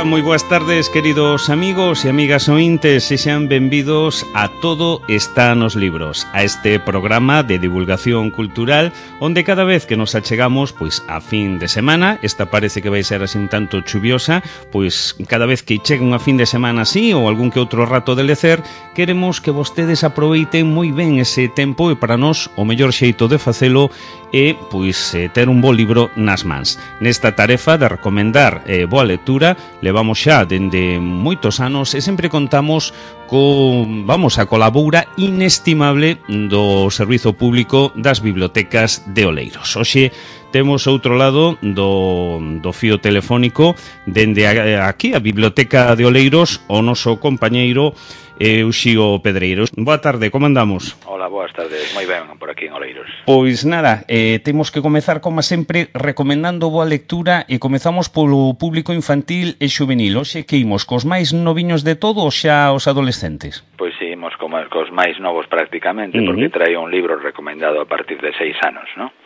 moi boas tardes, queridos amigos e amigas ointes, e sean benvidos a Todo está nos libros, a este programa de divulgación cultural onde cada vez que nos achegamos pois a fin de semana, esta parece que vai ser así un tanto chuviosa, pois cada vez que chegue unha fin de semana así ou algún que outro rato de lecer, queremos que vostedes aproveiten moi ben ese tempo e para nós o mellor xeito de facelo é pois ter un bo libro nas mans. Nesta tarefa de recomendar boa lectura levamos xa dende moitos anos e sempre contamos a colabora inestimable do Servizo Público das Bibliotecas de Oleiros. Hoxe temos outro lado do fío telefónico dende aquí a Biblioteca de Oleiros o noso compañeiro Uxío Pedreiros. Boa tarde, como andamos? Hola, boas tardes, moi ben por aquí en Oleiros. Pois nada, temos que comezar como sempre recomendando boa lectura e comezamos polo público infantil e xuvenil. Hoxe que imos, cos máis noviños de todo ou xa os adolescentes? Pois sí, imos cos máis novos prácticamente, porque trae un libro recomendado a partir de 6 anos, ¿no?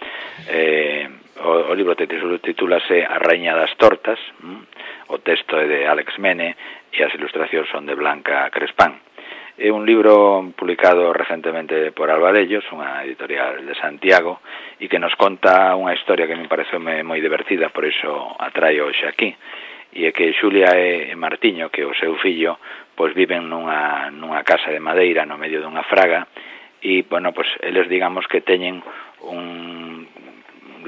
O libro titúlase A Raíña das Tortas, o texto é de Alex Mene e as ilustracións son de Blanca Crespán. É un libro publicado recentemente por Alvarellos, unha editorial de Santiago, e que nos conta unha historia que me pareceu moi divertida, por iso atraio hoxe aquí, e é que Xulia e Martiño, que o seu fillo, pois viven nunha casa de madeira no medio dunha fraga, e, bueno, pois eles digamos que teñen un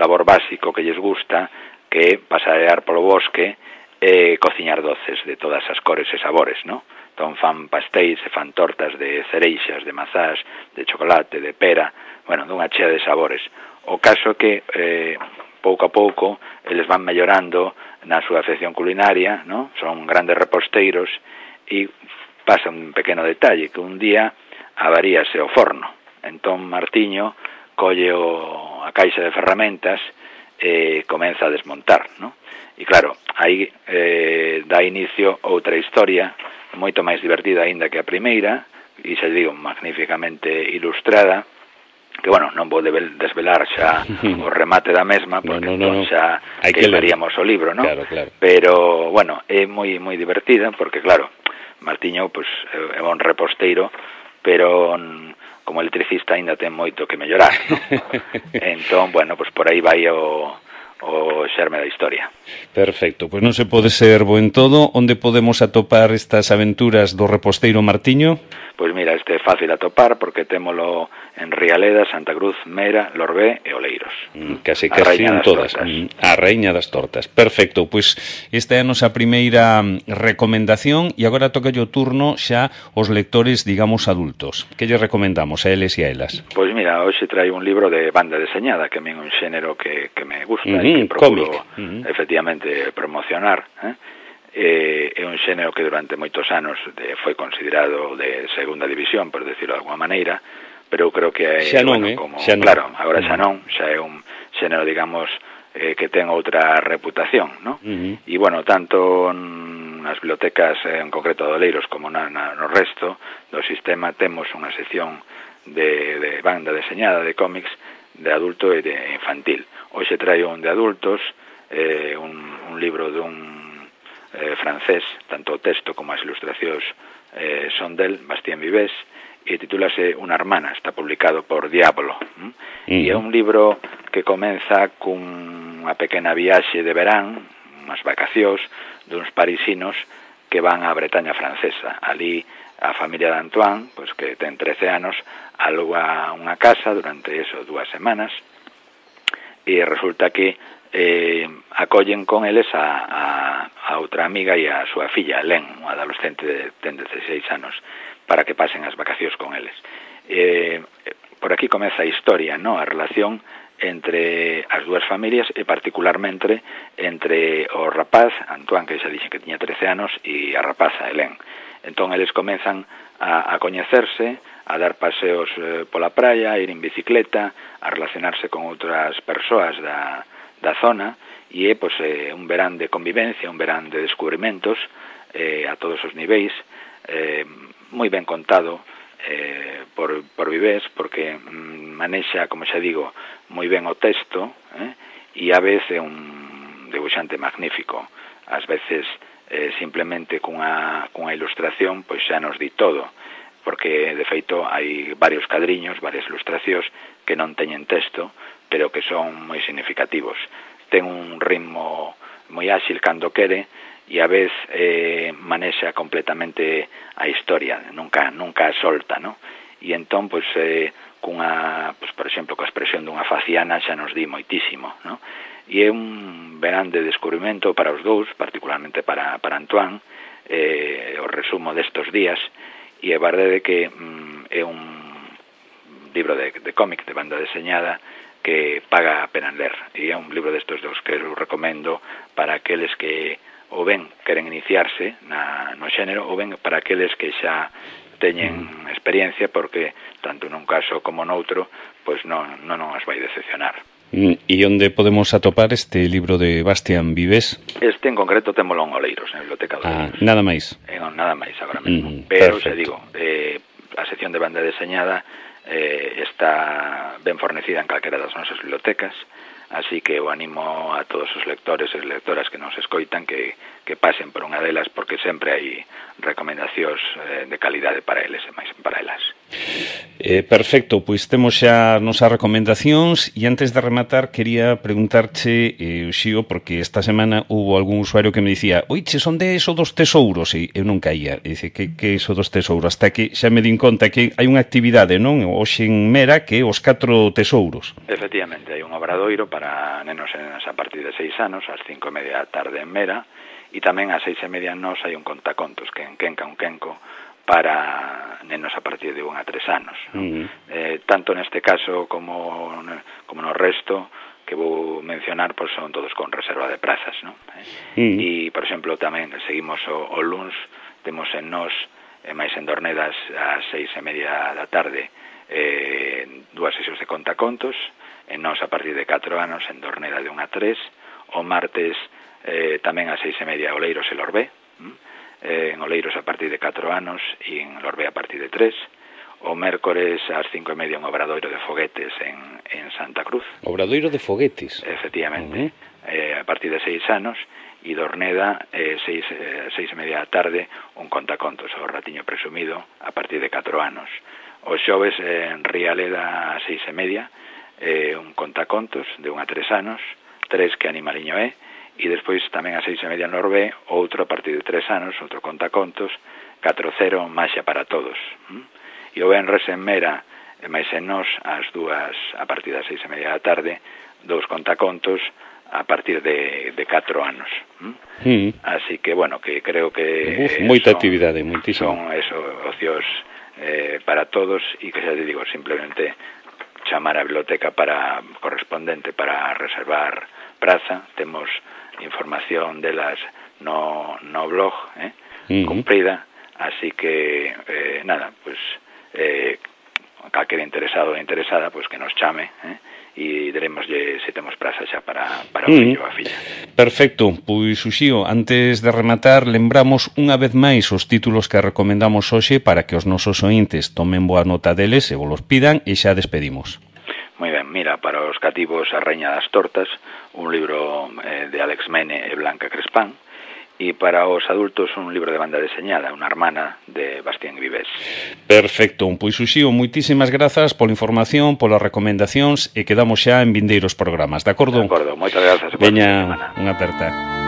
labor básico que lles gusta, que é pasear polo bosque e cociñar doces de todas as cores e sabores, ¿no? Entón fan pastéis e fan tortas de cereixas, de mazás, de chocolate, de pera, bueno, dunha chea de sabores. O caso que pouco a pouco eles van mellorando na súa afección culinaria, ¿no? Son grandes reposteiros e pasa un pequeno detalle, que un día avaríase o forno. Entón Martiño colle a caixa de ferramentas e comeza a desmontar, ¿no? E claro, aí dá inicio outra historia moito máis divertida aínda que a primeira, e xa digo, magníficamente ilustrada, que, bueno, non vou desvelar xa o remate da mesma, porque entón xa queimaríamos o libro, ¿no? Claro, claro. Pero, bueno, é moi divertida, porque, claro, Martiño, pues, é un reposteiro, pero como electricista aínda ten moito que mellorar, ¿no? Entón, bueno, pues por aí vai o xerme da historia. Perfecto, pois non se pode ser bo en todo. Onde podemos atopar estas aventuras do reposteiro Martiño? Pois mira, este é fácil atopar porque témolo en Rialeda, Santa Cruz, Mera, Lorbé e Oleiros. Casi en todas. A Raíña das Tortas. Perfecto, pois esta é a nosa primeira recomendación e agora toca o turno xa os lectores, digamos, adultos. Que lle recomendamos a eles e a elas? Pois mira, hoxe trae un libro de banda deseñada, que a mí é un xénero que me gusta e que procuro efectivamente promocionar, é un xénero que durante moitos anos foi considerado de segunda división, por decirlo de alguma maneira, pero eu creo que xa non, xa non. Claro, agora xa non, xa é un xénero, digamos, que ten outra reputación, ¿no? E, bueno, tanto nas bibliotecas en concreto de Oleiros como no resto do sistema temos unha sección de banda deseñada de cómics de adulto e de infantil. Hoxe traio un de adultos, un libro dun francés, tanto o texto como as ilustracións son del, Bastien Vives, e titúlase Una hermana, está publicado por Diablo. E é un libro que comeza cunha pequena viaxe de verán, unhas vacacións duns parisinos que van á Bretaña francesa. Ali a familia de Antoine, pois que ten 13 anos, aluga unha casa durante 2 semanas e resulta que acollen con eles a outra amiga e a súa filla, Len, unha adolescente de 16 anos, para que pasen as vacacións con eles. Por aquí comeza a historia, ¿no? A relación entre as dúas familias e particularmente entre o rapaz, Antoine, que xa dixen que tiña 13 anos, e a rapaza, Helen. Entón, eles comezan a coñecerse, a dar paseos pola praia, a ir en bicicleta, a relacionarse con outras persoas da zona, e é pois, un verán de convivencia, un verán de descubrimentos a todos os niveis, moi ben contado por Vives, porque manexa, como xa digo, moi ben o texto, e a vez é un debuxante magnífico. Ás veces simplemente cunha ilustración pois xa nos di todo, porque de feito hai varios cadriños, varias ilustracións que non teñen texto, pero que son moi significativos. Ten un ritmo moi áxil cando quere e a vez manexa completamente a historia, nunca a solta, ¿no? E entón, pois, por exemplo, coa expresión dunha faciana xa nos di moitísimo, ¿no? E é un grande descubrimento para os dous, particularmente para Antoine, o resumo destos días, e é verdade que é un libro de cómic, de banda deseñada, que paga a pena ler, e é un libro destes dos que eu recomendo para aqueles que ou ben queren iniciarse no xénero, ou ben para aqueles que xa teñen experiencia, porque tanto nun caso como noutro pois non as vai decepcionar. E onde podemos atopar este libro de Bastián Vives? Este en concreto témolo en Oleiros, na Biblioteca de Oleiros. Nada máis? Nada máis agora mesmo, pero se digo, a sección de banda deseñada está ben fornecida en calquera das nosas bibliotecas, así que eu animo a todos os lectores e lectoras que nos escoitan que pasen por unha delas, porque sempre hai recomendacións de calidade para eles e máis para elas. Perfecto, pois temos xa nosas recomendacións e antes de rematar quería preguntarche, Xío, porque esta semana hubo algún usuario que me dicía oiche, son de eso dos tesouros, e eu non caía, e dice, que iso dos tesouros? Hasta que xa me din conta que hai unha actividade, non? Hoxe en Mera, que é os 4 tesouros. Efectivamente, hai un obradoiro para nenos e nenas a partir de 6 anos, ás 5:30 da tarde en Mera, e tamén ás 6:30 nos hai un contacontos, que en Quenca un Quenco, para nenos a partir de 1 a 3 anos. Tanto neste caso como no resto que vou mencionar, pois son todos con reserva de prazas, non? E, por exemplo, tamén seguimos o luns, temos en Nos, máis en Dornedas, ás 6:30 da tarde, 2 sesións de contacontos, en Nos a partir de 4 anos, en Dorneda de 1 a 3, o martes tamén ás 6:30 Oleiros e Lorbé, en Oleiros a partir de 4 anos e en Lorbé a partir de 3, o mércores ás 5:30 un obradoiro de foguetes en Santa Cruz. Obradoiro de foguetes? Efectivamente, a partir de 6 anos, e Dorneda, 6:30 da tarde, un contacontos, o Ratiño Presumido, a partir de 4 anos. Os xoves en Rialeda a 6:30, un contacontos de 1 a 3 anos, 3 que animaliño é, e despois tamén a 6:30 en Lorbé, outro a partir de 3 anos, outro contacontos, 4-0, Maxia para todos. E o venres en Mera, e máis en Nos, ás 2, a partir das 6:30 da tarde, 2 contacontos a partir de 4 anos. Así que, bueno, que creo que moita actividade, moitísimo. Son ocios para todos, e que xa te digo, simplemente chamar a biblioteca correspondente para reservar praza. Temos información delas no blog, cumprida, así que nada, pues calquera interesado ou interesada, pues que nos chame, e diremoslle se temos praza xa para o fillo ou a filla. Perfecto, pois Uxío, antes de rematar, lembramos unha vez máis os títulos que recomendamos hoxe para que os nosos ointes tomen boa nota deles e vos los pidan, e xa despedimos. Moi ben, mira, para os cativos A Reña das Tortas, un libro de Alex Mene e Blanca Crespán, e para os adultos un libro de banda deseñada, Unha hermana, de Bastián Vives. Perfecto, pois Uxío, moitísimas grazas pola información, polas recomendacións, e quedamos xa en vindeiros programas, de acordo? De acordo, moitas grazas. Veña, unha aperta.